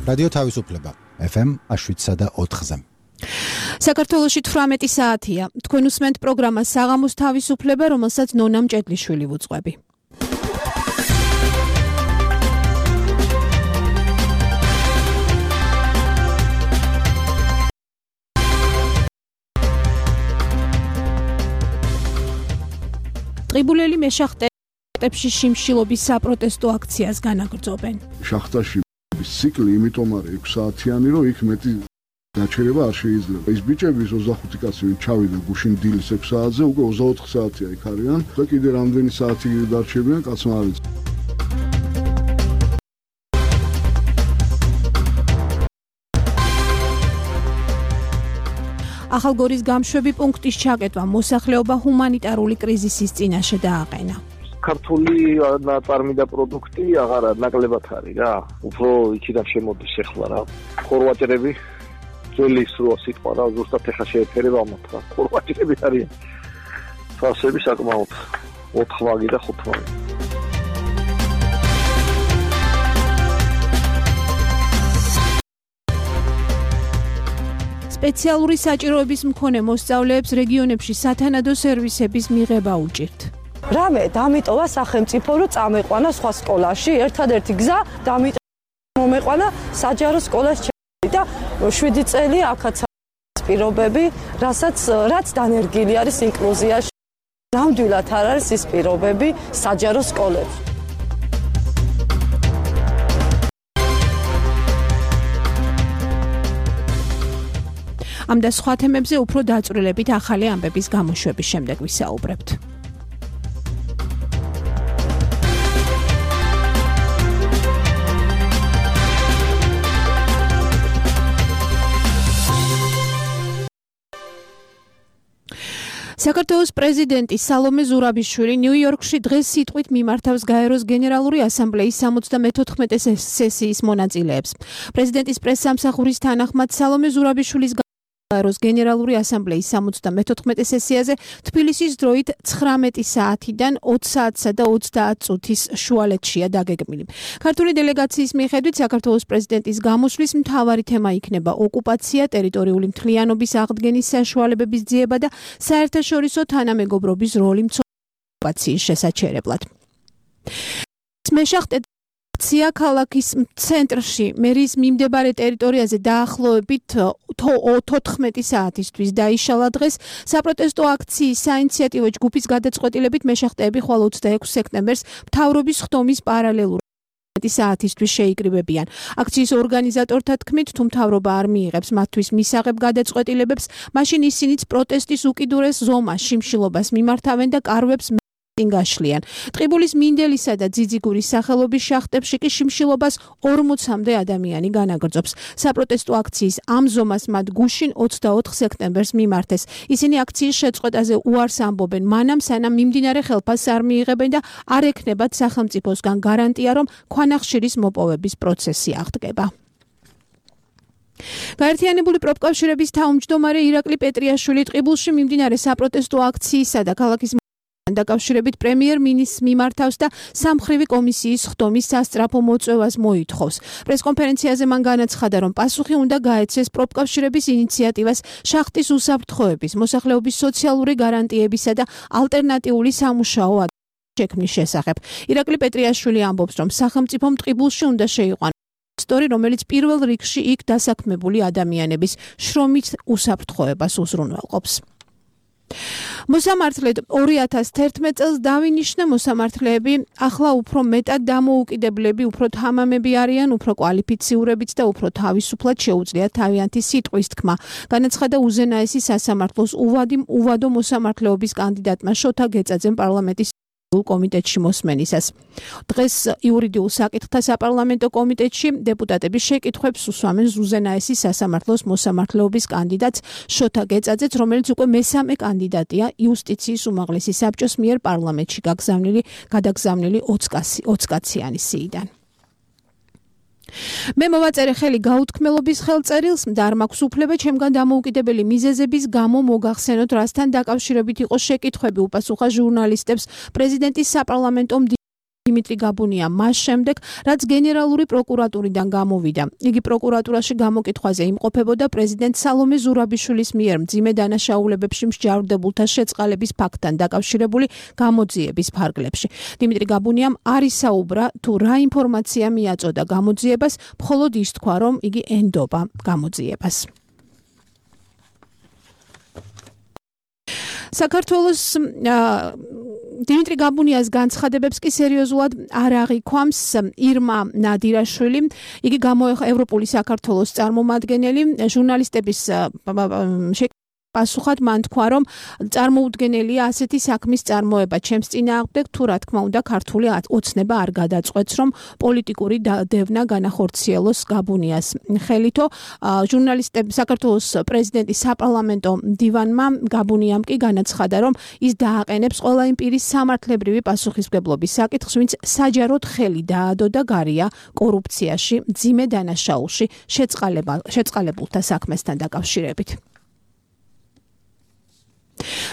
რადიო თავისუფლება FM 7.4-ზე. საქართველოში 18 საათია. თქვენ უსმენთ პროგრამას საღამოს თავისუფლება, რომელსაც ნონა მჭედლიშვილი ვუძღვები. ტყიბულელი მეშახტებში შიმშილობის საპროტესტო აქციას განაგრძობენ. შახტაში ციკლი იმიტომ არის 6 საათიანი, რომ იქ მეტი გაჩერება არ შეიძლება. ის ბიჭები 25 კაცი ჩავიდა გუშინ დილის 6 საათზე, უკვე 24 საათია იქ არიან და კიდე რამდენი საათი დარჩებიან, კაცმა არ იცის. ახალგორის გამშვები პუნქტის ჩაკეტვა მოსახლეობა ჰუმანიტარული კრიზისის წინაშე დააყენა. ქართული ნაწარმი და პროდუქტი აღარ ნაკლებად არის რა. უფრო იქიდან შემოდის ახლა რა. ხორვატები ძველი სროა სიტყვა რა, ზუსტად ეხა შეეფერება ამათქა. ხორვატები არიან. ფასები საკმაოდ 4 ვაგი და 5 ვაგი. სპეციალური საჭიროების მქონე მოსწავლეებს რეგიონებში სათანადო სერვისების მიღება უჭირთ. რამე დამიტოვა სახელმწიფო რომ წამეყვანა სხვა სკოლაში, ერთადერთი გზა მომეყვანა საჯარო სკოლაში და 7 წელი აქაც პირობები, რაც დანერგილი არის ინკლუზიაში. ნამდვილად არ არის ის პირობები საჯარო სკოლებში. ამ და სხვა თემებზე უფრო დაწვრილებით ახალი ამბების გამოშვების შემდეგ ვისაუბრებთ. საქართველოს პრეზიდენტი სალომე ზურაბიშვილი ნიუ-იორკში დღეს სიტყვით მიმართავს გაეროს გენერალური ასამბლეის 74 სესიის მონაწილეებს. პრეზიდენტის პრესსამსახურის თანახმად სალომე ზურაბიშვილის გაეროს გენერალური ასამბლეის 74 სესიაზე თბილისის დროით 19 საათიდან 20 საათსა და 30 წუთის შუალედშია დაგეგმილი. ქართული დელეგაციის მიხედვით საქართველოს პრეზიდენტის გამოსვლის მთავარი თემა იქნება ოკუპაცია, ტერიტორიული მთლიანობის აღდგენის საშუალებების ძიება და საერთაშორისო თანამეგობრობის როლი ოკუპაციის შესაჩერებლად. მეშახტე აქცია ქალაქის ცენტრში მერის მიმდებარე ტერიტორიაზე დაახლოებით 14 საათისთვის დაიშალა დღეს. საპროტესტო აქციის საინიციატივო ჯგუფის გადაწყვეტილებით მეშახტეები ხვალ 26 სექტემბერს მთავრობის ხდომის პარალელურად საათისთვის შეიკრიბებიან. აქციის ორგანიზატორთა თქმით, თუ მთავრობა არ მიიღებს მათთვის მისაღებ გადაწყვეტილებებს, მაშინ ისინიც პროტესტის უკიდურეს ზომას, შიმშილობას მიმართავენ და კარვებს გაშლიან. ტყიბულის მინდელისა და ძიძიგურის სახელობის შახტებში კი შიმშილობას 40-მდე ადამიანი განაგრძობს. საპროტესტო აქციის ამ ზომას მათ გუშინ 24 სექტემბერს მიმართეს. ისინი აქციის შეწყვეტაზე უარს ამბობენ, მანამ სანამ მიმდინარე ხელფასს არ მიიღებენ და არ ექნებათ სახელმწიფოსგან გარანტია, რომ ქვანახშირის მოპოვების პროცესი აღდგება. გაერთიანებული პროფკავშირების თავმჯდომარე ირაკლი პეტრიაშვილი ტყიბულში მიმდინარე საპროტესტო აქციისა და ქალაქის დაკავშირებით პრემიერ-მინისტრს მიმართავს და სამმხრივი კომისიის ხდომის სასწრაფო მოწვევას მოითხოვს. პრესკონფერენციაზე მან განაცხადა, რომ პასუხი უნდა გაეცეს პროფკავშირების ინიციატივას შახტის უსაფრთხოების, მოსახლეობის სოციალური გარანტიებისა და ალტერნატიული სამუშაო შექმნის შესახებ. ირაკლი პეტრიაშვილი ამბობს, რომ სახელმწიფომ ტყიბულში უნდა შეიყვანოს ინვესტორი, რომელიც პირველ რიგში იქ დასაქმებული ადამიანების შრომით უსაფრთხოებას უზრუნველყოფს. მოსამართლედ 2011 წელს დავინიშნა მოსამართლეები ახლა უფრო მეტად დამოუკიდებლები, უფრო თამამები არიან, უფრო კვალიფიციურებიც და უფრო თავისუფლად შეუძლიათ თავიანთი სიტყვის თქმა. განაცხადა უზენაესი სასამართლოს უვადო მოსამართლეობის კანდიდატმა შოთა გეწაძემ პარლამენტის კომიტეტში მოსმენისას. დღეს იურიდიულ საკითხთა საპარლამენტო კომიტეტში დეპუტატების შეკითხვებს უსვამენ უზენაესი სასამართლოს მოსამართლეობის კანდიდატს შოთა გეწაძეც, რომელიც უკვე მესამე კანდიდატია იუსტიციის უმაღლესი საბჭოს მიერ პარლამენტში გადაგზავნილი 20 კაციანი სიიდან. მე მოვაწერე ხელი გაუთქმელობის ხელწერილს და არ მაქვს უფლება ჩემგან დამოუკიდებელი მიზეზების გამო მოგახსენოთ, რასთან დაკავშირებით იყო შეკითხვები უპასუხა ჟურნალისტებს პრეზიდენტის საპარლამენტო დიმიტრი გაბუნია მას შემდეგ, რაც გენერალური პროკურატურიდან გამოვიდა. იგი პროკურატურაში გამოკითხვაზე იმყოფებოდა პრეზიდენტ სალომე ზურაბიშვილის მიერ მძიმე დანაშაულებებში მსჯავრდებულთა შეწყალების ფაქტთან დაკავშირებული გამოძიების ფარგლებში. დიმიტრი გაბუნიამ არ ისაუბრა თუ რა ინფორმაცია მიაწოდა გამოძიებას, მხოლოდ ის თქვა, რომ იგი ენდობა გამოძიებას. საქართველოს დიმიტრი გაბუნიას განცხადებებს კი სერიოზულად არ აღიქვამს ირმა ნადირაშვილი. იგი გამოეხო ევროპული საქართველოს წარმომადგენელი ჟურნალისტების პასუხად მან თქვა, რომ წარმოუდგენელია ასეთი საქმის წარმოება ჩემს წინააღმდეგ, თუ რა თქმა უნდა ქართული ოცნება არ გადაწყვეტს, რომ პოლიტიკური დევნა განახორციელოს გაბუნიას ხელითო. საქართველოს პრეზიდენტის საპარლამენტო მდივანმა გაბუნიამ კი განაცხადა, რომ ის დააყენებს ყველა იმ პირის სამართლებრივი პასუხისმგებლობის საკითხს, ვინც საჯაროდ ხელი დაადო და გარია კორუფციაში, მძიმე დანაშაულში შეწყალებულთა საქმესთან დაკავშირებით.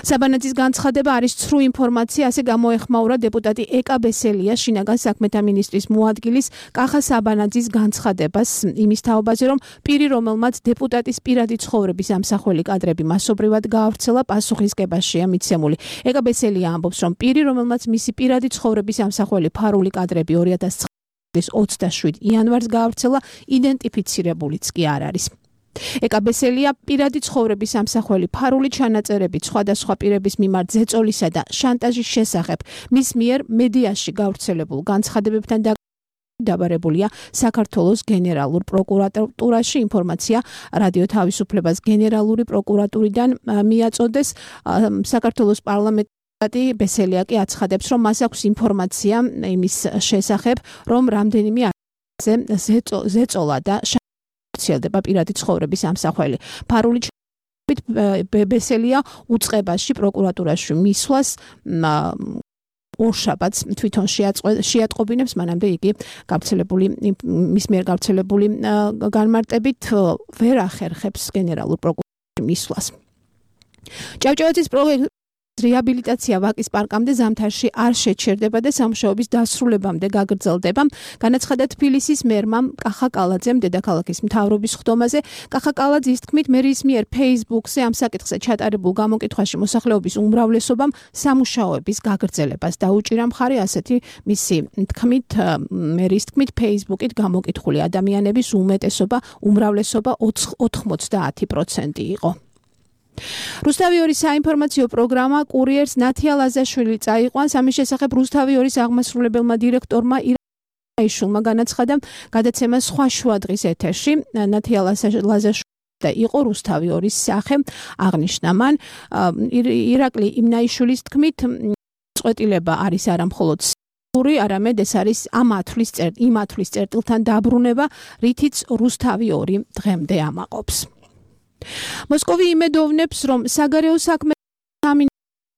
საბანაძის განცხადება არის ცრუ ინფორმაცია, ასე გამოეხმაურა დეპუტატი ეკა ბესელია შინაგან საქმეთა მინისტრის მოადგილის კახა საბანაძის განცხადებას იმის თაობაზე, რომ პირი, რომელმაც დეპუტატის პირადი ცხოვრების ამსახველი კადრები მასობრივად გაავრცელა, პასუხისგებაშია მიცემული. ეკა ბესელია ამბობს, რომ პირი, რომელმაც მისი პირადი ცხოვრების ამსახველი ფარული კადრები 2009 წლის 27 იანვარს გაავრცელა, იდენტიფიცირებულიც კი არ არის. ეკა ბესელია პირადი ცხოვრების ამსახველი ფარული ჩანაწერებით სხვადასხვა პირების მიმართ ზეწოლისა და შანტაჟის შესახებ მის მიერ მედიაში გავრცელებულ განცხადებებთან დაბარებულია საქართველოს გენერალურ პროკურატურაში. ინფორმაცია რადიო თავისუფლებას გენერალური პროკურატურიდან მიაწოდეს. საქართველოს პარლამენტი ბესელია კი აცხადებს, რომ მას აქვს ინფორმაცია იმის შესახებ, რომ რამდენიმე ზეწოლა და ვრცელდება პირადი ცხოვრების ამსახველი ფარული ბესელია უწყებაში პროკურატურაში მისვლას ორშაბათს თვითონ შეატყობინებს, მანამდე იგი მის მიერ გავრცელებული განმარტებით ვერ ახერხებს გენერალურ პროკურატურაში მისვლას. ჭავჭავაძის პროექტი რეაბილიტაცია ვაკის პარკამდე ზამთარში არ შეჩერდება და სამუშაოების დასრულებამდე გაგრძელდება. განაცხადა თბილისის მერმა კახა კალაძემ დედაქალაქის მთავრობის ხდომაზე. კახა კალაძის თქმით, მერის მიერ Facebook-ზე ამ საკითხზე ჩატარებულ გამოკითხვაში მოსახლეობის უმრავლესობამ სამუშაოების გაგრძელებას დაუჭირა მხარი. ასეთი მისი თქმით, მერის თქმით, Facebook-ით გამოკითხული ადამიანების უმრავლესობა 90% იყო. რუსთავი 2 საინფორმაციო პროგრამა კურიერს ნათია ლაზაშვილი წაიყვანს. ამის შესახებ რუსთავი 2-ის აღმასრულებელმა დირექტორმა ირაიშვილმა განაცხადა გადაცემა სხვა შუადღის ეთერში. ნათია ლაზაშვილი იყო რუსთავი 2-ის სახე აღნიშნა მან. ირაკლი იმნაიშვილის თქმით, წყვეტილება არის არა მხოლოდ არამედ ეს არის იმ ათვლის წერტილთან დაბრუნება, რითიც რუსთავი 2 დღემდე ამაყობს. მოსკოვი იმედოვნებს, რომ საგარეო საქმეთა მინისტრი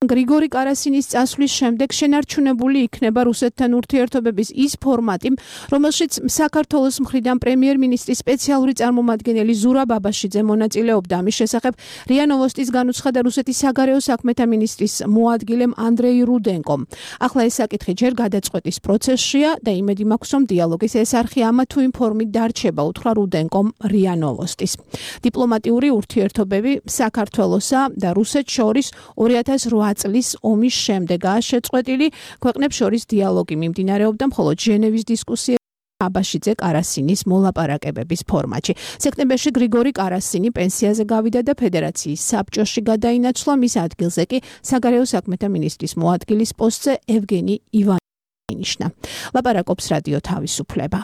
გრიგორი კარასინის წასვლის შემდეგ შენარჩუნებული იქნება რუსეთთან ურთიერთობების ის ფორმატი, რომელშიც საქართველოს მხრიდან პრემიერ-მინისტრის სპეციალური წარმომადგენელი ზურაბ აბაშიძე მონაწილეობდა. ამის შესახებ რია ნოვოსტის განუცხადა რუსეთის საგარეო საქმეთა მინისტრის მოადგილემ ანდრეი რუდენკომ. ახლა ეს საკითხი ჯერ გადაწყვეტის პროცესშია და იმედი მაქვს, რომ დიალოგის ეს არხი ამა თუ იმ ფორმით დარჩება, უთხრა რუდენკომ რია ნოვოსტის. დიპლომატიური ურთიერთობები საქართველოსა და რუსეთს შორის 2008 წლის ომის შემდეგაა შეწყვეტილი. ქვეყნებს შორის დიალოგი მიმდინარეობდა მხოლოდ ჟენევის დისკუსიებში აბაშიძე კარასინის მოლაპარაკებების ფორმატში. სექტემბერში გრიგორი კარასინი პენსიაზე გავიდა და ფედერაციის საბჭოში გადაინაცვლა. მის ადგილზე კი საგარეო საქმეთა მინისტრის მოადგილის პოსტზე ევგენი ივანოვი ინიშნა. ლაპარაკობს რადიო თავისუფლება.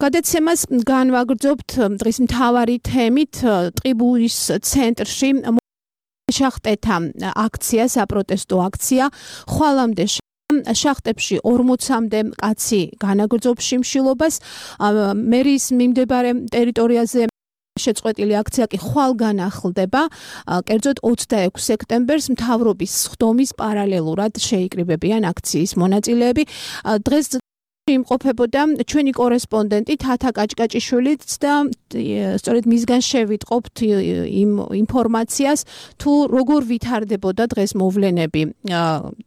გადაცემას განვაგრძობთ დღის მთავარი თემით. ტყიბულის ცენტრში შახტეთა აქცია, საპროტესტო აქცია. ხვალამდე შახტებში 40-მდე კაცი განაგრძობს შიმშილობას. მერის მიმდებარე ტერიტორიაზე შეწყვეტილი აქცია კი ხვალ განახლდება. კერძოდ 26 სექტემბერს მთავრობის ხდომის პარალელურად შეიკრიბებიან აქციის მონაწილეები. დღეს იმყოფებოდა ჩვენი კორესპონდენტი თათა კაჭკაჭიშვილიც და სწორედ მისგან შევიტყობთ იმ ინფორმაციას თუ როგორ ვითარდებოდა დღეს მოვლენები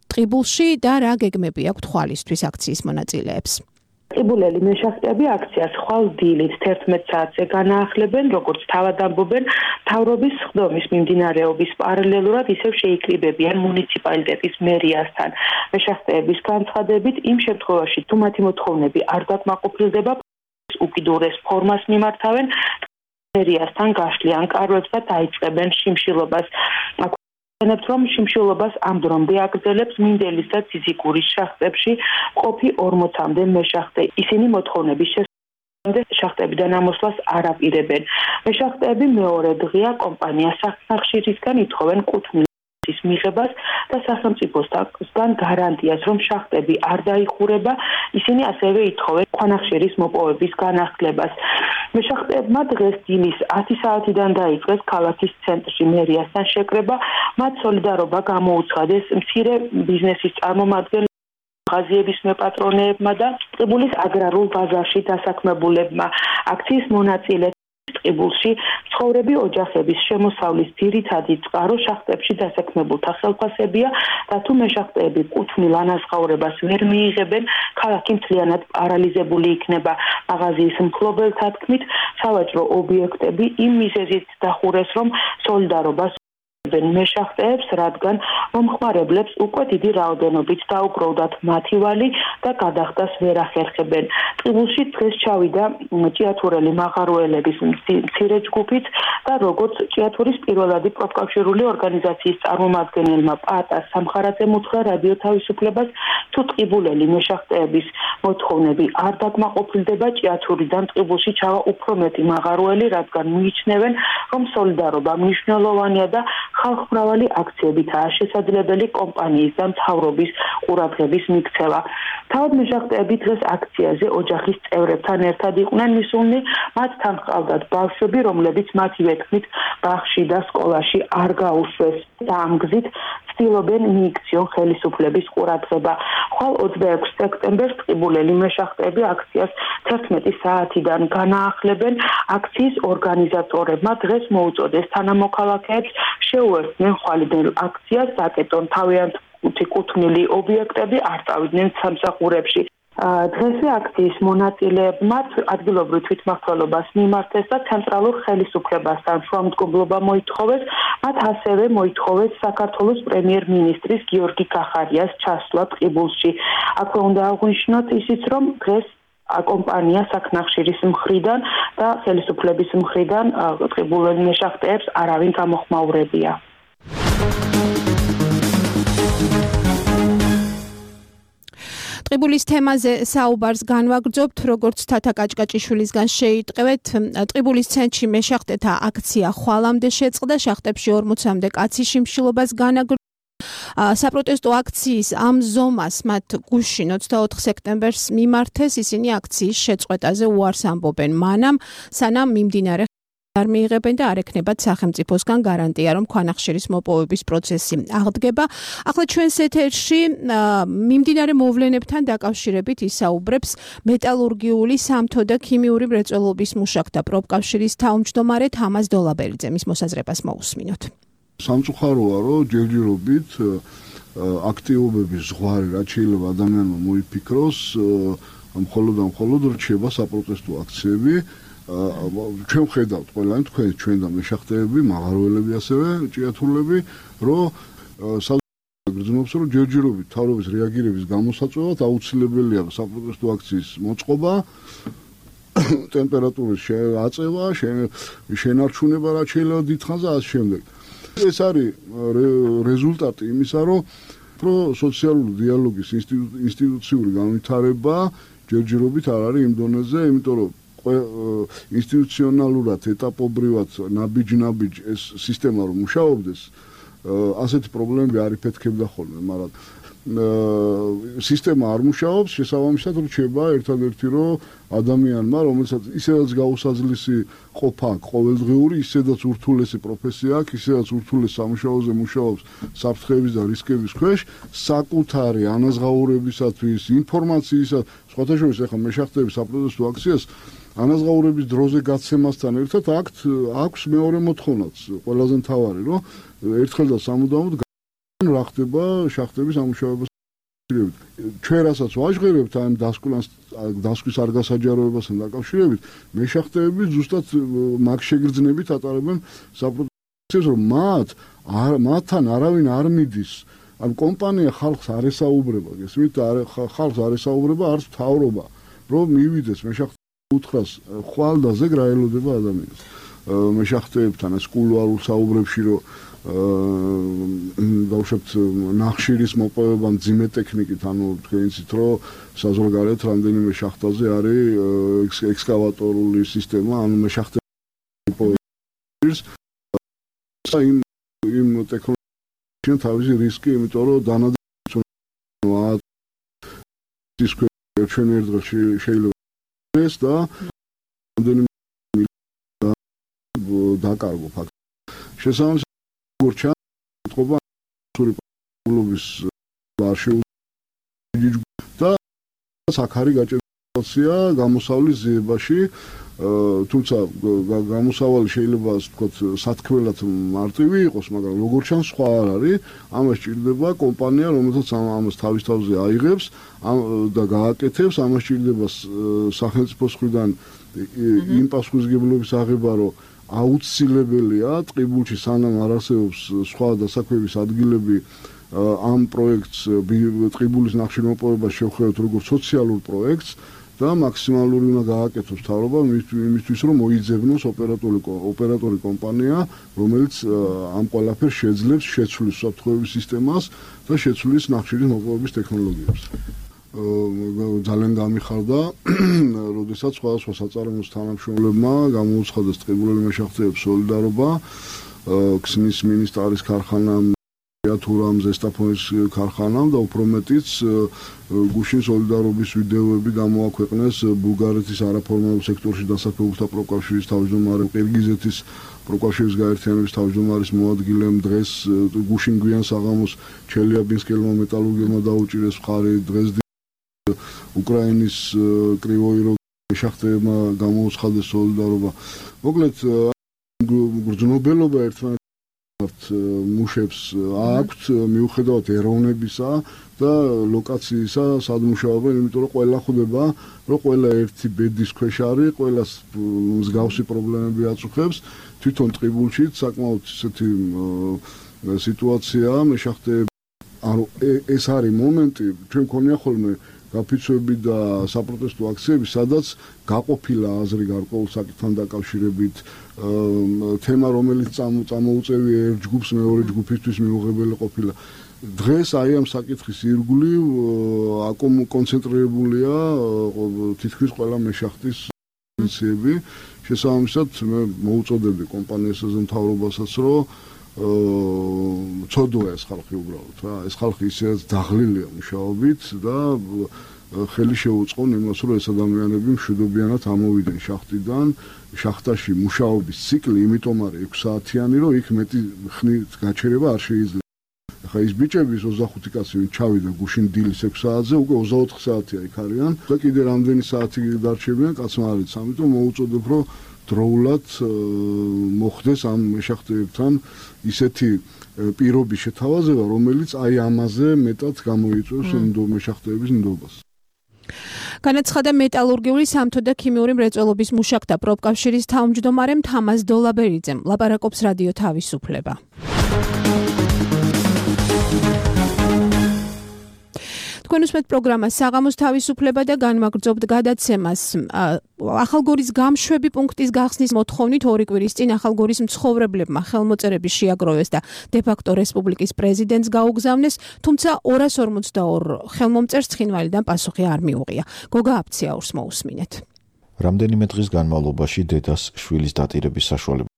ტყიბულში და რა გეგმები აქვს თვალისთვის აქციის მონაწილეებს. ტყიბულელი მეშახტეები აქციას ხვალ დილით 11 საათზე განაახლებენ, როგორც თავად ამბობენ, მთავრობის სხდომის მიმდინარეობის პარალელურად ისევ შეიკრიბებიან მუნიციპალიტეტის მერიასთან. მეშახტეების განცხადებით, იმ შემთხვევაში, თუ მათი მოთხოვნები არ დაკმაყოფილდება, უკიდურეს ფორმას მიმართავენ მერიასთან გაშლიან კარვებს და დაიწყებენ შიმშილობას. რომ შიმშილობას ამ დრომდე აგრძელებს მინდელის და ციციკურის შახტებში ყოფი 40-მდე მეშახტე. ისინი მოთხოვნების შესაბამისად შახტებიდან ამოსვლას არ აპირებენ. მეშახტეები მეორე დღეა კომპანია სახნახშირისგან ითხოვენ კუთვნილის მიღებას და სახელმწიფოსგან გარანტიას, რომ შახტები არ დაიხურება. ისინი ასევე ითხოვენ ქვანახშირის მოპოვების განახლებას. მეშახტეებმა დღეს დილის 10 საათიდან დაიწყეს ქალაქის ცენტრში მერიასთან შეკრება. მათ სოლიდარობა გამოუცხადეს მცირე ბიზნესის წარმომადგენლებმა, მაღაზიების მეპატრონეებმა და ტყიბულის აგრარულ ბაზარში დასაქმებულებმა. აქციის მონაწილე ტყიბულში ცხოვრები ოჯახების შემოსავლის ძირითადი წყარო შახტებში დასაქმებულთა ხელფასებია და თუ მეშახტეები კუთვნილ ანაზღაურებას ვერ მიიღებენ, ქალაქი მთლიანად პარალიზებული იქნება. მაღაზიის მფლობელთა თქმით, სავაჭრო ობიექტები იმ მიზეზით დახურეს, რომ სოლიდარობას მეშახტეებს, რადგან მომხმარებლებს უკვე დიდი რაოდენობით დაუგროვდათ მათი ვალი და გადახდას ვერ ახერხებენ. ტყიბულში დღეს ჩავიდა ჭიათურელი მაღაროელების მცირე ჯგუფით და როგორც ჭიათურის პირველადი პროფკავშირული ორგანიზაციის წარმომადგენელმა პატას სამხარაძემ უთხრა რადიო თავისუფლებას, თუ ტყიბულელი მეშახტეების მოთხოვნები არ დაკმაყოფილდება, ჭიათურიდან ტყიბულში ჩავა უფრო მეტი მაღაროელი, რადგან მიიჩნევენ, რომ სოლიდარობა მნიშვნელოვანია და ხალხმრავალი აქციებითაა შესაძლებელი კომპანიის და მთავრობის ყურადღების მიქცევა. თავად მეშახტეები დღეს აქციაზე ოჯახის წევრებთან ერთად იყვნენ მისულნი, მათთან ჰყავდათ ბავშვები, რომლებიც მათივე თქმით ბაღში და სკოლაში არ გაუშვეს და ამ გზით ცდილობენ მიიქციონ ხელისუფლების ყურადღება. ხვალ 26 სექტემბერს ტყიბულელი მეშახტეები აქციას 11 საათიდან განაახლებენ. აქციის ორგანიზატორებმა დღეს მოუწოდეს თანამოქალაქეებს შეუერთდნენ ხვალინელ აქციას, დაკეტონ თავიანთი კუთვნილი ობიექტები, არ წავიდნენ სამსახურებში. დღესვე აქციის მონაწილეებმა ადგილობრივ თვითმმართველობას მიმართეს და ცენტრალურ ხელისუფლებასთან შუამდგომლობა მოითხოვეს. მათ ასევე მოითხოვეს საქართველოს პრემიერ-მინისტრის გიორგი კახარიას ჩასვლა ტყიბულში. აქვე უნდა აღვნიშნოთ ისიც, რომ დღეს კომპანია საქნახშირის მხრიდან და ხელისუფლების მხრიდან ტყიბულელ მეშახტეებს არავინ გამოხმაურებია. ტყიბულის თემაზე საუბარს განვაგრძობთ, როგორც თათა კაჭკაჭიშვილისგან შეიტყევეთ. ტყიბულის ცენტრში მეშახტეთა აქცია ხვალამდე შეწყდა, შახტებში 40-მდე კაცი შიმშილობას განაგრძო. საპროტესტო აქციის ამ ზომას მათ გუშინ 24 სექტემბერს მიმართეს, ისინი აქციის შეწყვეტაზე უარს ამბობენ, მანამ სანამ მიმდინარე არ მიიღებენ და არ ექნებათ სახელმწიფოსგან გარანტია, რომ ქვანახშირის მოპოვების პროცესი აღდგება. ახლა ჩვენს ეთერში მიმდინარე მოვლენებთან დაკავშირებით ისაუბრებს მეტალურგიული, სამთო და ქიმიური მრეწველობის მუშაკთა პროფკავშირის თავმჯდომარე თამაზ დოლაბერიძე. მის მოსაზრებას მოусმინოთ. სამწუხაროა, რომ ჯერჯერობით აქტივობების ზღვარი, რაც შეიძლება ადამიანმა მოიფიქროს, მხოლოდ რჩება საპროტესტო აქციები. ჩვენ ვხედავთ ყველანი თქვენ ჩვენ და მეშახტეები, მაღაროელები ასევე ჭიათურლები, რომ გრძნობს, რომ ჯერჯერობით თავრობის რეაგირების გამოსაწვევად აუცილებელია საპროტესტო აქციის მოწყობა, ტემპერატურის აწევა, შენარჩუნება, რაც შეიძლება დიდხანს და ასე შემდეგ. ეს არის რეზულტატი იმისა, რომ სოციალური დიალოგის ინსტიტუციური განვითარება ჯერჯერობით არ არის იმ დონეზე, იმიტომ რომ ინსტიტუციონალურად, ეტაპობრივად, ნაბიჯ ეს სისტემა რომ მუშაობდეს, ასეთი პრობლემები არ იფეთქებდა ხოლმე, მაგრამ სისტემა არ მუშაობს, შესაბამისად რჩება ერთადერთი რომ ადამიანმა, რომელსაც ისედაც გაუსაძლისი ყოფა აქვს ყოველდღიური, ისედაც ურთულესი პროფესია აქვს, ისედაც ურთულეს სამუშაოზე მუშაობს საფრთხეების და რისკების ქვეშ, საკუთარი ანაზღაურებისათვის, ინფორმაციისათვის, სხვათა შორის ახლა მეშახტეების საპროტესტო აქციას ანაზღაურების დროზე გაცემასთან ერთად აქვს მეორე მოთხოვნაც, ყველაზე მთავარი, რომ ერთხელ და სამუდამოდ რა ხდება შახტების ამუშავებას. ჩვენ რასაც ვაჟღერებთ ამ დასკვის არ გასაჯაროებასთან დაკავშირებით, მეშახტეები ზუსტად მაგ შეგრძნებით ატარებენ საპროტესტოს, რომ მათთან არავინ არ მიდის. ამ კომპანია ხალხს არ ესაუბრება, გესმით, ხალხს არ ესაუბრება არც მთავრობა, რომ მივიდეს მეშახტეების უთხრას ხვალდაზე რა ელოდება ადამიანს. მეშახტეებთან ეს კულუარულ საუბრებში რომ დავუშვებთ ნახშირის მოპოვება მძიმე ტექნიკით, ანუ თქვენ იცით რომ საზღვარგარეთ რამდენიმე შახტაზე არის ექსკავატორული სისტემა, ანუ მეშახტეების იმ ტექნოლოგიიდან თავისი რისკი, იმიტომ რომ დანადარებია ის ჩვენ ერთ დღეში შეიძლება ეს და რამდენიმე დაკარგო ფაქტი. შესაბამისად გორჩა თქობა სურიპულობის არშიულ და საკარი გაჭირებია გამოსავლის ზიებაში, თუმცა გამოსავალი შეიძლება ვთქვათ სათქმელად მარტივი იყოს, მაგრამ როგორც ჩანს სხვა არ არის, ამას ჭირდება კომპანია, რომელსაც ამას თავის თავზე აიღებს და გააკეთებს, ამას ჭირდება სახელმწიფოს მხრიდან იმ პასუხისმგებლობის აღება, რომ აუცილებელია ტყიბულში სანამ არ არსებობს სხვა დასაქმების ადგილები ამ პროექტს ტყიბულის ნახშირმოპოვებას შევხედოთ როგორც სოციალურ პროექტს და მაქსიმალური უნდა გააკეთოს მთავრობა იმისთვის რომ მოიძებნოს ოპერატორი კომპანია, რომელიც ამ ყველაფერს შეძლებს შეცვლის საფრთხეების სისტემას და შეცვლის ნახშირის მოპოვების ტექნოლოგიებს. ძალიან გამიხარდა, როდესაც სხვადასხვა საწარმოოს თანამშრომლებმა გამოუცხადეს ტყიბულელი მეშახტეების სოლიდარობა, ქსნის მინისტრის ქარხანამ, თურამ ზესტაფონის ქარხანამ და უფრო მეტიც გუშინ სოლიდარობის ვიდეოები გამოაქვეყნეს ბულგარეთის არაფორმალურ სექტორში დასაქმებულთა პროკავშირის თავმჯდომარემ, ყირგიზეთის პროკავშირის გაერთიანების თავმჯდომარის მოადგილემ, დღეს გუშინ გვიან საღამოს ჩელიაბინსკელმა მეტალურგებმა დაუჭირეს მხარი, დღეს უკრაინის კრივოი როგი მეშახტეებმა გამოუცხადეს სოლიდარობა. მოკლედ გრძნობელობა ერთმანეთს მუშებს აქვთ მიუხედავად ეროვნებისა და ლოკაციისა სად მუშაობენ, იმიტომ რომ ყველა ხვდება, რომ ყველა ერთი ბედის ქვეშ არის, ყველას მსგავსი პრობლემები აწუხებს, თვითონ ტყიბულშიც საკმაოდ ისეთი სიტუაციაა მეშახტეები. ანუ ეს არის მომენტი, ჩვენ მქონია ხოლმე გაფიცვები და საპროტესტო აქციები, სადაც გაყოფილა აზრი გარკვეულ საკითხთან დაკავშირებით, თემა რომელიც წამოუწევია ერთ ჯგუფს მეორე ჯგუფისთვის მიუღებელი ყოფილა. დღეს აი ამ საკითხის ირგვლივ კონცენტრირებულია თითქმის ყველა მეშახტის ინიციატივები. შესაბამისად მე მოუწოდებდი კომპანიასა და მთავრობასაც, რომ ცოდვა ეს ხალხი უბრალოდ რა, ეს ხალხი ისედაც დაღლილია მუშაობით და ხელი შეუწყონ იმას, რომ ეს ადამიანები მშვიდობიანად ამოვიდნენ შახტიდან. შახტაში მუშაობის ციკლი იმიტომ არის 6 საათიანი, რომ იქ მეტი ხნით გაჩერება არ შეიძლება. ახლა ის ბიჭების 25 კაცი ვინ ჩავიდა გუშინ დილის 6 საათზე, უკვე 24 საათია იქ არიან და კიდე რამდენი საათი დარჩებიან კაცმა არის, ამიტომ მოუწოდებ, რომ დროულად მოხდეს ამ მეშახტეებთან ისეთი პირობის შეთავაზება, რომელიც აი ამაზე მეტად გამოიწვევს მეშახტეების ნდობას. განაცხადა მეტალურგიული, სამთო და ქიმიური მრეწველობის მუშაკთა პროფკავშირის თავმჯდომარემ თამაზ დოლაბერიძემ. ლაპარაკობს რადიო თავისუფლება. თქვენ უსმენთ პროგრამას საღამოს თავისუფლება და განმაგრძობთ გადაცემას. ახალგორის გამშვები პუნქტის გახსნის მოთხოვნით 2 კვირის წინ ახალგორის მცხოვრებლებმა ხელმოწერები შეაგროვეს და დე-ფაქტო რესპუბლიკის პრეზიდენტს გაუგზავნეს, თუმცა 242 ხელმომწერს ცხინვალიდან პასუხი არ მიუღია. გოგა აფციაურს მოусმინეთ. რამდენიმე დღის განმავლობაში დედას შვილის დატირების საშუალება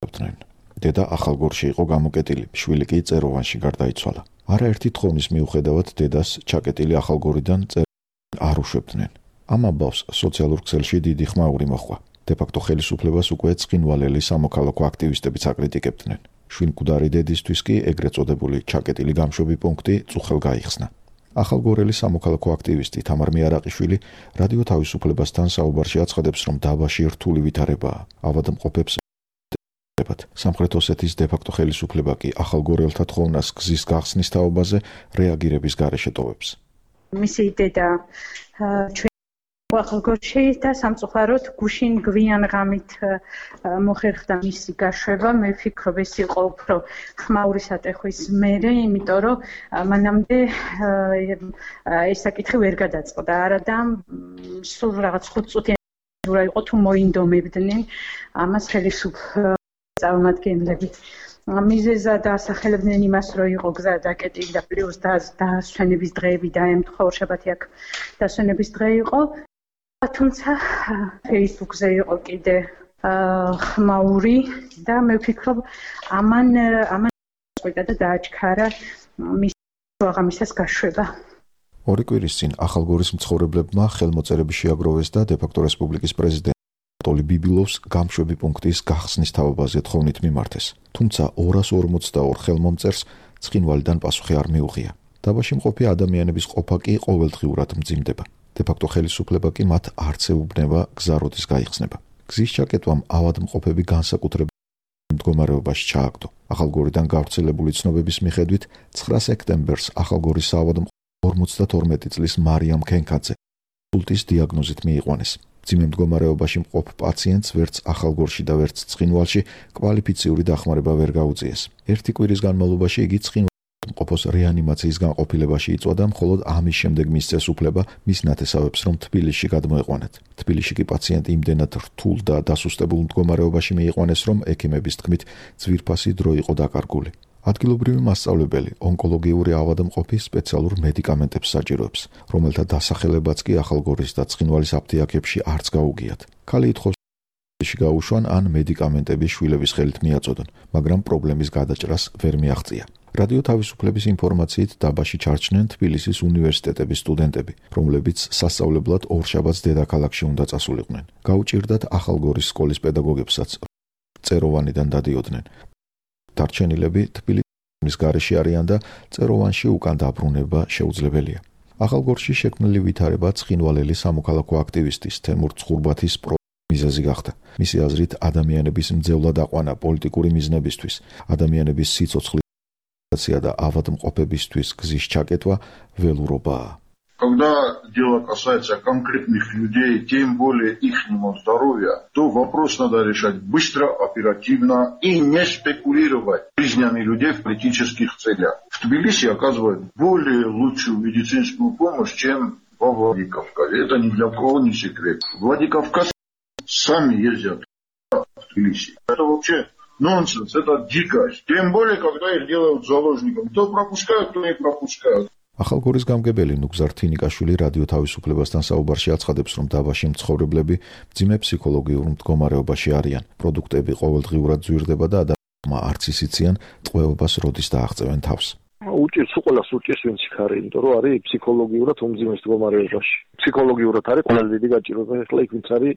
ებდნენ. დედა ახალგორში იყო გამოკეტილი, შვილი კი წეროვანში გარდაიცვალა. არაერთი თხოვნის მიუხედავად დედას ჩაკეტილი ახალგორიდან არ უშვებდნენ. ამ ამბავს სოციალურ ქსელში დიდი ხმაური მოჰყვა. დე-ფაქტო ხელისუფლებას უკვე ცხინვალელი სამოქალაქო აქტივისტებიც აკრიტიკებდნენ. შვინკვდარი დედისთვის კი ეგრეთ წოდებული ჩაკეტილი გამშვები პუნქტი წუხელ გაიხსნა. ახალგორელი სამოქალაქო აქტივისტი თამარ მიარაყიშვილი რადიო თავისუფლებასთან საუბარში აცხადებს, რომ დაბაში რთული ვითარებაა. ავადმყოფებს სამხრეთ ოსეთის დე-ფაქტო ხელისუფლება კი ახალგორელთა თხოვნას გზის გახსნის თაობაზე რეაგირების გარეშე ტოვებს. მისი დედა ახალგორში და სამწუხაროდ გუშინ გვიან ღამით მოხერხდა მისი გაშვება. მე ვფიქრობ, ეს იყო უფრო ხმაური სატეხვის მერე, იმიტომ რომ მანამდე ეს საკითხი ვერ გადაწყდა. არადა სულ რაღაც 5 წუთი იყო თუ მოინდომებდნენ ამას ხელისუფლების წარმომადგენლები. მიზეზად ასახელებდნენ იმას, რომ იყო გზა დაკეტილი და პლუს დასვენების დღეები და ემთხვა ორშაბათი აქ დასვენების დღე იყო. თუმცა Facebook-ზე იყო კიდე ხმაური და მე ვფიქრობ ამან წყვიტა და დააჩქარა მის აღამისას გაშვება. ორი კვირის წინ ახალგორის მცხოვრებლებმა ხელმოწერები შეაგროვეს და დე-ფაქტო რესპუბლიკის პრეზიდენტ ანატოლი ბიბილოვს გამშვები პუნქტის გახსნის თაობაზე თხოვნით მიმართეს. თუმცა 242 ხელმომწერს ცხინვალიდან პასუხი არ მიუღია. დაბაში მყოფი ადამიანების ყოფა კი ყოველდღიურად მძიმდება. დე-ფაქტო ხელისუფლება კი მათ არც ეუბნება გზა როდის გაიხსნება. გზის ჩაკეტვამ ავადმყოფები განსაკუთრებულ მდგომარეობაში ჩააგდო. ახალგორიდან გავრცელებული ცნობების მიხედვით 9 სექტემბერს ახალგორის საავადმყოფო 52 წლის მარიამ ქენქაძე სულტის დიაგნოზით მიიყვანეს. მძიმე მდგომარეობაში მყოფ პაციენტს ვერც ახალგორში და ვერც ცხინვალში კვალიფიციური დახმარება ვერ გაუწიეს. ერთი კვირის განმავლობაში იგი ყოფოს რეანიმაციის განყოფილებაში იწვა და მხოლოდ ამის შემდეგ მისცეს უფლება მის ნათესავებს, რომ თბილისში გადმოეყვანათ. თბილისში კი პაციენტი იმდენად რთულ და დასუსტებულ მდგომარეობაში მიიყვანეს, რომ ექიმების თქმით ძვირფასი დრო იყო დაკარგული. ადგილობრივი მასწავლებელი ონკოლოგიური ავადმყოფი სპეციალურ მედიკამენტებს საჭიროებს, რომელთა დასახელებაც კი ახალგორის და ცხინვალის აფთიაქებში არც გაუგიათ. ქალი ითხოვს გაუშვან ან მედიკამენტები შვილების ხელით მიაწოდონ, მაგრამ პრობლემის გადაჭრას ვერ მიაღწია. რადიო თავისუფლების ინფორმაციით დაბაში ჩარჩნენ თბილისის უნივერსიტეტების სტუდენტები, რომლებიც სასწავლებლად ორშაბათს დედაქალაქში უნდა წასულიყვნენ. გაუჭირდათ ახალგორის სკოლის პედაგოგებსაც წეროვანიდან დადიოდნენ. დარჩენილები თბილისის გარეშე არიან და წეროვანში უკან დაბრუნება შეუძლებელია. ახალგორში შექმნილი ვითარება ცხინვალელი სამოქალაქო აქტივისტის თემურ ცხურბათის მიზეზი გახდა. მისი აზრით, ადამიანების მძევლად აყვანა პოლიტიკური მიზნებისთვის, ადამიანების სიცოცხლის და ავადმყოფებისთვის გზის чакетва ველურობაა. Когда дело касается конкретных людей, тем более ихнего здоровья, то вопрос надо решать быстро, оперативно и не спекулировать жизнями людей в политических целях. В Тбилиси оказывают более лучшую медицинскую помощь, чем во Владикавказе. Это ни для кого не секрет. Владикавказ сами ездят в Тбилиси. Это вообще нонсенс, это дикость. Тем более, когда их делают заложниками. То пропускают, то не пропускают. ახალგორის გამგებელი ნუგზარ თინიკაშვილი რადიო თავისუფლებასთან საუბარში აცხადებს, რომ დაბაში მცხოვრებლები მძიმე ფსიქოლოგიურ მდგომარეობაში არიან. პროდუქტები ყოველდღიურად ძვირდება და ადამიანმა არც ისიციან ტყვეობას როდის დააღწევენ თავს. უჭირს უყოლას უჭირს ვინც იქ არის, იმიტომ რომ არის ფსიქოლოგიურად უმძიმე მდგომარეობაში. ფსიქოლოგიურად არის ყველაზე დიდი გაჭირვება, ახლა იქ ვინც არის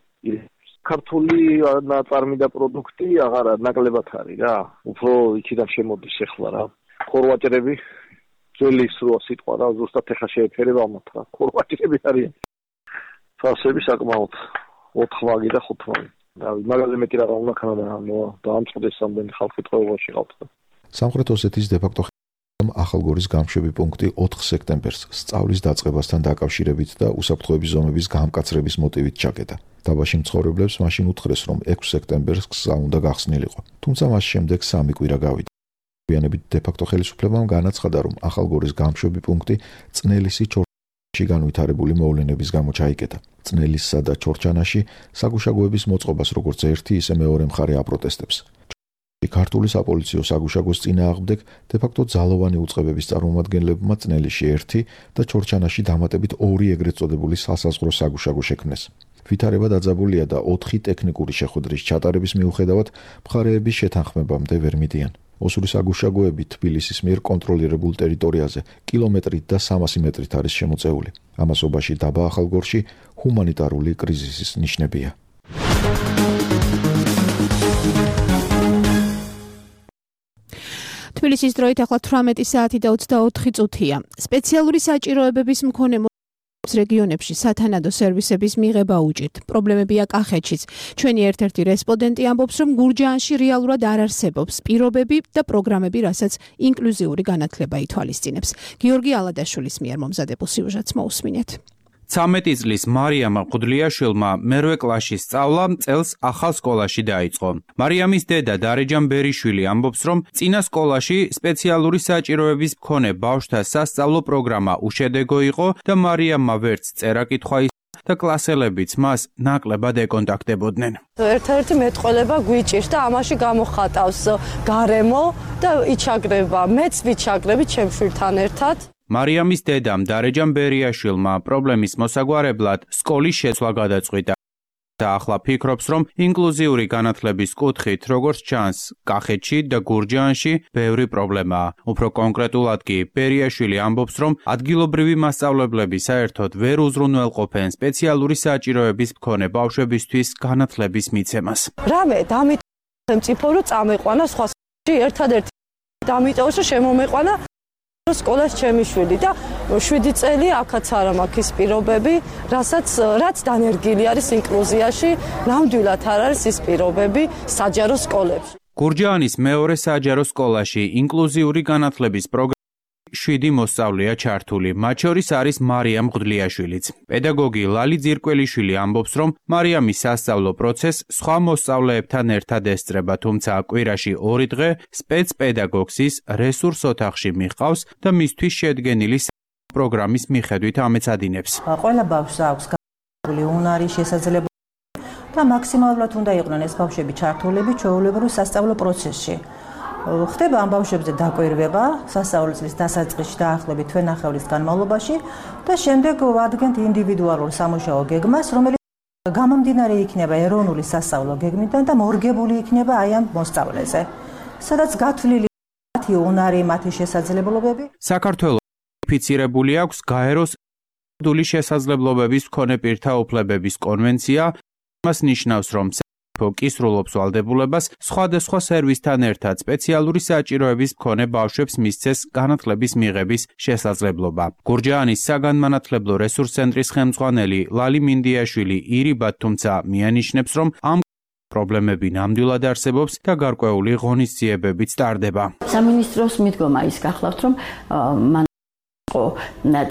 ქართული ნაწარმი და პროდუქტი აღარ ნაკლებად არის რა. უფრო იქიდან შემოდის ახლა რა. ხორვატები ძველი სროა სიტყვა რა, ზუსტად ეხა შეეფერება მათ რა. ხორვატები არიან. ფასები საკმაოდ 4 ვაგი და 5 ვაგი. და მაგაზე მეტი რა უნდა ქანა და ამწყდეს ამდენი ხალხი ტყვეობაში ყავთ. სამხრეთ ოსეთის დე-ფაქტო ახალგორის გამშვები პუნქტი 4 სექტემბერს სწავლის დაწყებასთან დაკავშირებით და უსაფრთხოების ზომების გამკაცრების მოტივით ჩაკეტა. დაბაში მცხოვრებლებს მაშინ უთხრეს, რომ 6 სექტემბერს გზა უნდა გახსნილიყო. თუმცა მას შემდეგ 3 კვირა გავიდა. მოგვიანებით დე-ფაქტო ხელისუფლებამ განაცხადა, რომ ახალგორის გამშვები პუნქტი წნელისი ჩორჩანაში განვითარებული მოვლენების გამო ჩაიკეტა. წნელისსა და ჩორჩანაში საგუშაგოების მოწყობას როგორც ერთი, ისე მეორე მხარე აპროტესტებს. ქართული საპოლიციო საგუშაგოს წინააღმდეგ დე-ფაქტო ძალოვანი უწყებების წარმომადგენლებმა წნელისში 1 და ჩორჩანაში დამატებით 2 ეგრეთ წოდებული სასაზღვრო საგუშაგო შექმნეს. ვითარება დაძაბულია და 4 ტექნიკური შეხვედრის ჩატარების მიუხედავად მხარეების შეთანხმებამდე ვერ მიდიან. ოსურის აგუშაგოები თბილისის მიერ კონტროლირებულ ტერიტორიაზე კილომეტრით და 300 მეტრით არის შემოწეული. ამასობაში დაბა ახალგორში ჰუმანიტარული კრიზისის ნიშნებია. თბილისის დროით ახლა 18 საათი და 24 წუთია. სპეციალური საჭიროებების მქონე რეგიონებში სათანადო სერვისების მიღება უჭირთ. პრობლემებია კახეთშიც. ჩვენი ერთ-ერთი რესპონდენტი ამბობს, რომ გურჯაანში რეალურად არ არსებობს პირობები და პროგრამები, რასაც ინკლუზიური განათლება ითვალისწინებს. გიორგი ალადაშვილის მიერ მომზადებულ სიუჟეტს მოусმინეთ. 13 წლის მარიამ მღვდლიაშვილმა მერვე კლასში სწავლა წელს ახალ სკოლაში დაიწყო. მარიამის დედა დარეჯან ბერიშვილი ამბობს, რომ წინა სკოლაში სპეციალური საჭიროების მქონე ბავშვთა სასწავლო პროგრამა უშედეგო იყო და მარიამმა ვერც წერა-კითხვა და კლასელებიც მას ნაკლებად ეკონტაქტებოდნენ. ერთ-ერთი მეტყველება გვიჭირს და ამაში გამოხატავს გარემო და იჩაგრება. მეც ვიჩაგრები ჩემ შვილთან ერთად. მარიამის დედამ დარეჯან ბერიაშვილმა პრობლემის მოსაგვარებლად სკოლის შეცვლა გადაწყვიტა და ახლა ფიქრობს, რომ ინკლუზიური განათლების კუთხით, როგორც ჩანს, კახეთში და გურჯაანში ბევრი პრობლემაა. უფრო კონკრეტულად კი ბერიაშვილი ამბობს, რომ ადგილობრივი მასწავლებლები საერთოდ ვერ უზრუნველყოფენ სპეციალური საჭიროების მქონე ბავშვებისთვის განათლების მიცემას. რამე დამიტოვო რომ წამეყვანა სხვა სკოლაში ერთადერთი დამიტოვო რომ შემომეყვანა სკოლას ჩემი შვილი და 7 წელი აქაც არა მაქვს ის პირობები, რაც დანერგილი არის ინკლუზიაში, ნამდვილად არ არის ის პირობები საჯარო სკოლებში. გურჯაანის მეორე საჯარო სკოლაში ინკლუზიური განათლების პროგრამა 7 მოსწავლეა ჩართული, მათ შორის არის მარიამ მღვდლიაშვილიც. პედაგოგი ლალი ძირკველიშვილი ამბობს, რომ მარიამის სასწავლო პროცესს სხვა მოსწავლეებთან ერთად ესწრება, თუმცა კვირაში 2 დღე სპეცპედაგოგს ის რესურს ოთახში მიჰყავს და მისთვის შედგენილი პროგრამის მიხედვით ამეცადინებს. ყველა ბავშვს აქვს განსხვავებული უნარი, შესაძლებლობა და მაქსიმალურად უნდა იყვნენ ეს ბავშვები ჩართულები ჩვეულებრივ სასწავლო პროცესში. ხდება ამ ბავშვებზე დაკვირვება სასწავლო წლის დასაწყისში დაახლოებით თვენახევრის განმავლობაში და შემდეგ ვადგენთ ინდივიდუალურ სამუშაო გეგმას, რომელიც გამომდინარე იქნება ეროვნული სასწავლო გეგმიდან და მორგებული იქნება აი ამ მოსწავლეზე, სადაც გათვლილი მათი უნარი, მათი შესაძლებლობები. საქართველოს ратифიცირებული აქვს გაეროს დული შესაძლებლობების მქონე პირთა უფლებების კონვენცია. მას ნიშნავს, რომ კისრულობს ვალდებულებას სხვადასხვა სერვისთან ერთად სპეციალური საჭიროების მქონე ბავშვებს მისცეს განათლების მიღების შესაძლებლობა. გურჯაანის საგანმანათლებლო რესურს ცენტრის ხელმძღვანელი ლალი მინდიაშვილი ირიბად თუმცა მიანიშნებს, რომ ამ პრობლემები ნამდვილად არსებობს და გარკვეული ღონისძიებებიც ტარდება. სამინისტროს მიდგომა ის გახლავთ, რომ მან იყო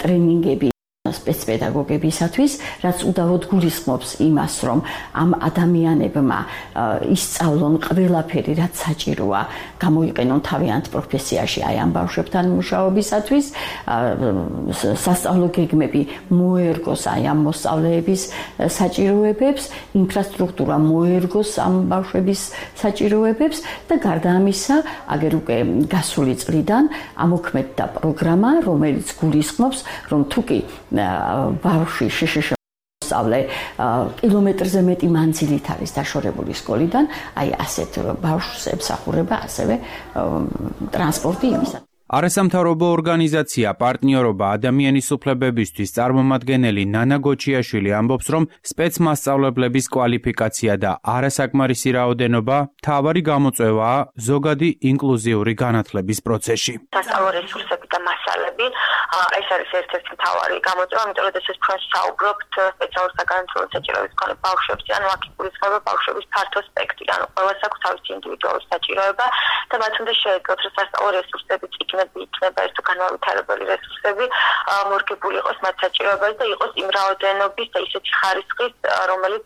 ტრენინგები სპეცპედაგოგებისათვის, რაც უდავოდ გულისხმობს იმას, რომ ამ ადამიანებმა ისწავლონ ყველაფერი, რაც საჭიროა, გამოიყენონ თავიანთ პროფესიაში აი ამ ბავშვებთან მუშაობისათვის, სასწავლო გეგმები მოერგოს აი ამ მოსწავლეების საჭიროებებს, ინფრასტრუქტურა მოერგოს ამ ბავშვების საჭიროებებს და გარდა ამისა, აგერ უკვე გასული წლიდან ამოქმედდა პროგრამა, რომელიც გულისხმობს, რომ თუკი ბავშვი შესწავლე კილომეტრზე მეტი მანძილით არის დაშორებული სკოლიდან, აი ასეთ ბავშვს ემსახურება ასევე ტრანსპორტი იმისა. არასამთავრობო ორგანიზაცია პარტნიორობა ადამიანის უფლებებისთვის წარმომადგენელი ნანა გოჩიაშვილი ამბობს, რომ სპეცმასწავლებლების კვალიფიკაცია და არასაკმარისი რაოდენობა მთავარი გამოწვევაა ზოგადი ინკლუზიური განათლების პროცესში. სასწავლო რესურსები და მასალები ეს არის ერთ-ერთი მთავარი გამოწვევა, იმიტომ რომ ეს ჩვენ საუბრობთ სპეციალურ საგანმანათლებლო საჭიროების მქონე ბავშვებზე, ანუ აქ იგულისხმება ბავშვების ფართო სპექტრი, ანუ ყველას აქვს თავისი ინდივიდუალური საჭიროება და მათ უნდა შეეძლოთ, რომ სასწავლო რესურსებიც იქნება ეს თუ განმავითარებელი რესურსები მორგებული იყოს მათ საჭიროებაზე და იყოს იმ რაოდენობის და ისეთი ხარისხის, რომელიც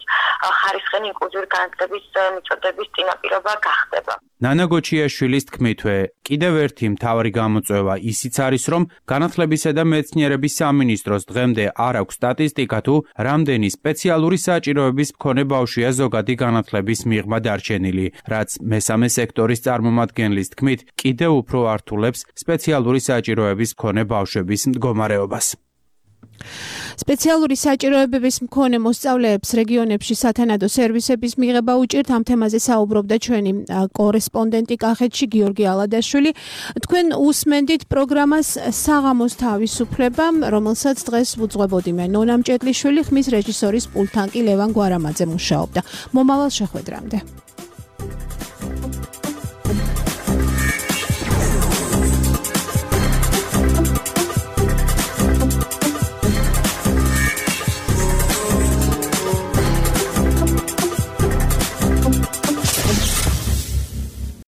ხარისხენი ინკლუზიური განათლების მიწოდების წინაპირობა გახდება. ნანა გოჩიაშვილის თქმითვე, კიდევ ერთი მთავარი გამოწვევა ისიც არის, რომ განათლებისა და მეცნიერების სამინისტროს დღემდე არ აქვს სტატისტიკა თუ რამდენი სპეციალური საჭიროების მქონე ბავშვია ზოგადი განათლების მიღმა დარჩენილი, რაც მესამე სექტორის წარმომადგენლის თქმით, კიდევ უფრო ართულებს სპეციალური საჭიროების მქონე ბავშვების მდგომარეობას. სპეციალური საჭიროებების მქონე მოსწავლეებს რეგიონებში სათანადო სერვისების მიღება უჭირთ. ამ თემაზე საუბრობდა ჩვენი კორესპონდენტი კახეთში გიორგი ალადაშვილი. თქვენ უსმენდით პროგრამას საღამოს თავისუფლება, რომელსაც დღეს უძღვებოდი მე ნონა მჭედლიშვილი, ხმის რეჟისორის პულტთან კი ლევან გვარამაძე მუშაობდა. მომავალ შეხვედრამდე.